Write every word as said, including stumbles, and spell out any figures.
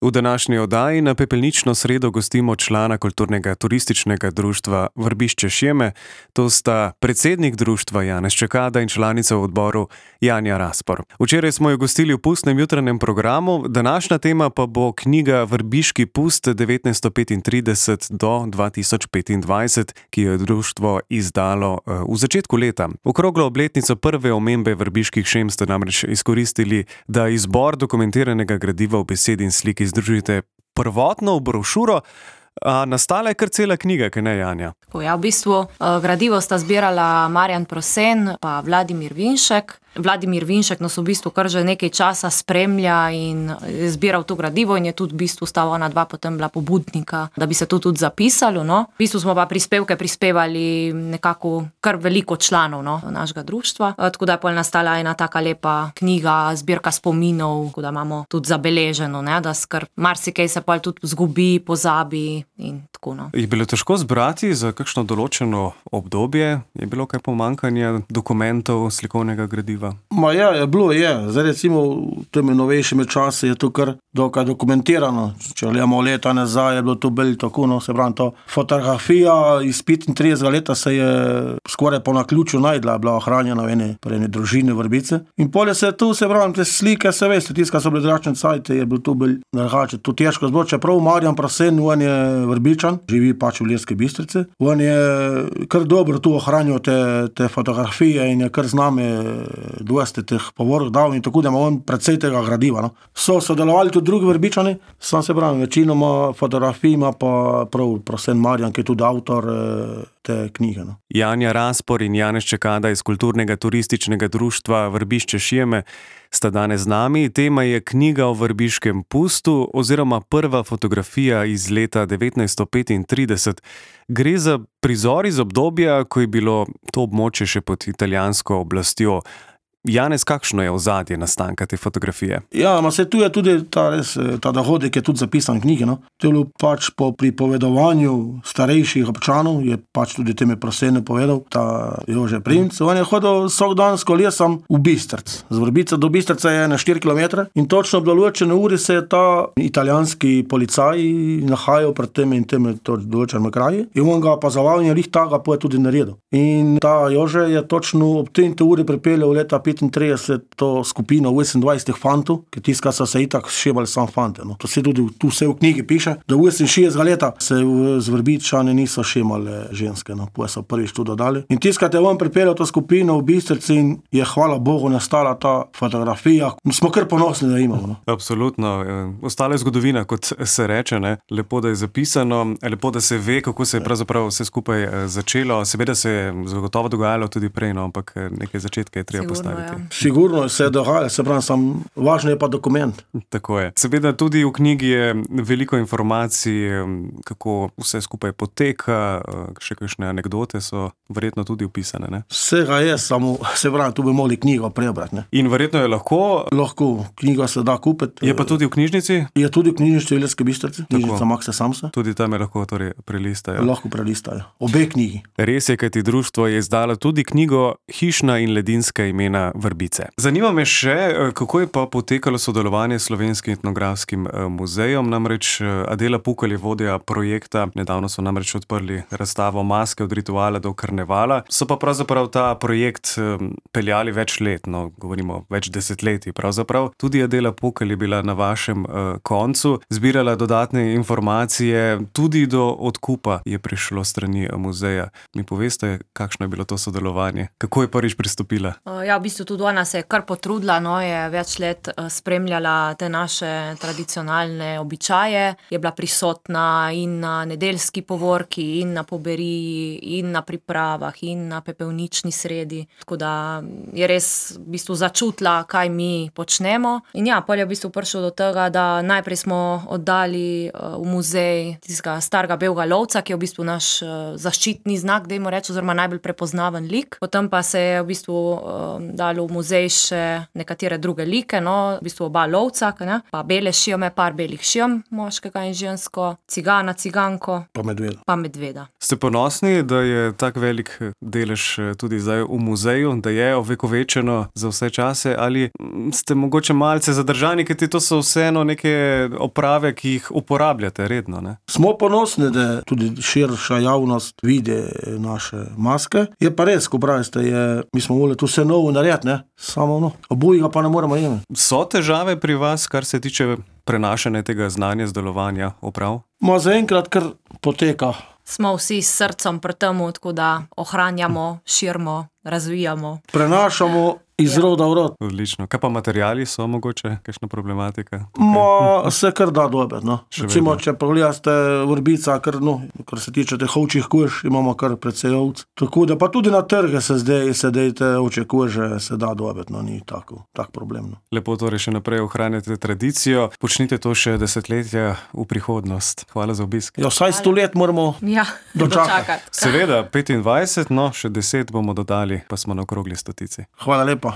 V današnji oddaji na pepelnično sredo gostimo člana kulturnega turističnega društva Vrbišče Šjeme. To sta predsednik društva Janez Čekada in članica v odboru Janja Raspor. Včeraj smo jo gostili v pustnem jutranjem programu, današnja tema pa bo knjiga Vrbiški pust devetnajststo petintrideset do dva tisoč petindvajset, ki jo je društvo izdalo v začetku leta. Okroglo obletnico prve omembe vrbiških šem ste namreč izkoristili, da izbor dokumentiranega gradiva v besedi in sliki združite prvotno v brošuro, a nastala je kar cela knjiga, kaj ne, Janja? Ja, v bistvu gradivo sta zbirala Marjan Prosen pa Vladimir Vinšek. Vladimir Vinšek nas v bistvu kar že nekaj časa spremlja in je zbiral to gradivo in je tudi v bistvu sta ona dva potem bila pobudnika, da bi se to tudi zapisalo, no. V bistvu smo pa prispevke prispevali nekako kar veliko članov, no, našega društva. Tako da je pol nastala ena taka lepa knjiga, zbirka spominov, tako da imamo tudi zabeleženo, ne, da skar marsikaj se pol tudi zgubi, pozabi in tako, no. Je bilo težko zbrati za kakšno določeno obdobje? Je bilo kaj pomanjkanja dokumentov, slikovnega gradiva? Ma ja, je bilo, je. Zdaj recimo v temi novejšimi časi je to kar dokaj dokumentirano. Če gledamo leta nazaj, je bilo to bolj tako, no, se pravi, to fotografija iz petintridesetega leta se je skoraj po naključju najdla, bila ohranjena v eni, pri eni družini Vrbice. In polje se tu, se pravi, te slike, se veste, tiska so bili drugačne cajte, je bilo to bolj drugače. To težko zbog, čeprav Marjan Prosen, on je Vrbičan, živi pač v Ilirski Bistrici. On je kar dobro tu ohranil te, te fotografije in je kar z nami dosti teh povorov dal in tako, da ima on precej tega gradiva, no. So sodelovali tudi drugi Vrbičani, sam se pravim, večinoma fotografij ima pa prav Prosen Marjan, ki je tudi avtor te knjige, no. Janja Raspor in Janez Čekada iz kulturnega turističnega društva Vrbišče Šjeme sta danes z nami. Tema je knjiga o vrbiškem pustu oziroma prva fotografija iz leta devetnajststo petintrideset. Gre za prizor iz obdobja, ko je bilo to območje še pod italijansko oblastjo. Janez, kakšno je ozadje nastanka te fotografije? Ja, ma se tu je tudi ta, res, ta dogodek je tudi zapisan v knjigi, no. To je bilo pač po pripovedovanju starejših občanov, je pač tudi teme Prosene povedal, ta Jože Primc. On je hodil vsak dan s kolesom v Bistrc. Z Vrbice do Bistrca je na štiri kilometre in točno ob določene uri se je ta italijanski policaj nahajal pred temi in temi določenimi kraji in on ga opazoval in je lih taga poje tudi naredil. In ta Jože je točno ob tem uri pripeljal leta petintrideset to skupino osemindvajset fantov, ki tiska so se itak šebali sam fante, no. To se tudi tu vse v knjigi piše, da oseminšestdesetega leta se z Vrbičani niso šemale ženske, no. Poje so prvič tu dodali. In tiskate on pripeljal to skupino v Bistrici in je hvala Bogu nastala ta fotografija. Smo kar ponosni, da imamo, no. Absolutno. Ostala je zgodovina, kot se reče, ne. Lepo, da je zapisano, lepo, da se ve, kako se je pravzaprav vse skupaj začelo. Seveda se je zagotovo dogajalo tudi prej, no, ampak nekaj začetka je treba postaviti. Ja. Sigurno se je dogajalo, se pravi, sam važno je pa dokument. Tako je. Seveda tudi v knjigi je veliko informacij, kako vse skupaj poteka, še kakšne anekdote so verjetno tudi opisane, ne? Vsega je, samo se pravi, tu bi mogli knjigo prebrati, ne. In verjetno je lahko? Lahko, knjiga se da kupiti. Je pa tudi v knjižnici? Je tudi v knjižnici v Ilirski Bistrici, knjižnica Makse Samsa. Tudi tam je lahko torej prelistajo? Lahko prelistajo. Obe knjigi. Res je, kajti društvo je izdalo tudi knjigo Hišna in ledinska imena Vrbice. Zanima me še, kako je pa potekalo sodelovanje s Slovenskim etnografskim muzejem, namreč Adela Pukl je vodja projekta, nedavno so namreč odprli razstavo Maske od rituala do karnevala, so pa pravzaprav ta projekt peljali več let, no, govorimo več desetletij pravzaprav. Tudi Adela Pukl je bila na vašem uh, koncu, zbirala dodatne informacije, tudi do odkupa je prišlo strani muzeja. Mi poveste, kakšno je bilo to sodelovanje? Kako je prvič pristopila? Ja, v bistvu tudi ona se je kar potrudila, no, je več let spremljala te naše tradicionalne običaje, je bila prisotna in na nedeljski povorki, in na poberiji, in na pripravah, in na pepelnični sredi, tako da je res v bistvu začutila, kaj mi počnemo. In ja, pol je v bistvu prišlo do tega, da najprej smo oddali v muzej tistega starega belega lovca, ki je v bistvu naš zaščitni znak, dajmo reči, oziroma najbolj prepoznaven lik. Potem pa se je v bistvu da dali v muzej še nekatere druge like, no, v bistvu oba lovca, ne, pa bele šijome, par belih šijom, moškega in žensko, cigana, ciganko, Pa medveda. pa medveda. Ste ponosni, da je tak velik delež tudi zdaj v muzeju, da je ovekovečeno za vse čase, ali ste mogoče malce zadržani, ker to so vseeno neke oprave, ki jih uporabljate redno, ne? Smo ponosni, da tudi širša javnost vidi naše maske. Je pa res, ko pravite, je, mi smo volili tu vse novo narediti, ne? Samo no, obojega pa ne moremo imeti. So težave pri vas, kar se tiče prenašanja tega znanja, zdelovanja oprav? Ma zaenkrat kar poteka. Smo vsi s srcem pri temu, tako da ohranjamo, širimo, razvijamo. Prenašamo iz Ja. roda v rod. Odlično. Kaj pa materiali so mogoče, kakšna problematika? Ma se kar da dobiti, no. Še Recimo, vedno. če pogledate vrbica, kar, no, kar se tiče teh ovčjih kož, imamo kar precej ovc. Tako da pa tudi na trge se zdaj, se dej te ovčje kože se da dobiti, no, ni tako, tak problem, no. Lepo torej še naprej ohranjate tradicijo, počnite to še desetletja v prihodnost. Hvala za obisk. Ja, vsaj sto let moramo Ja, Dočakati. dočakati. Seveda, petindvajset, no, še deset bomo dodali, pa smo na okrogli stotici. Hvala lepa.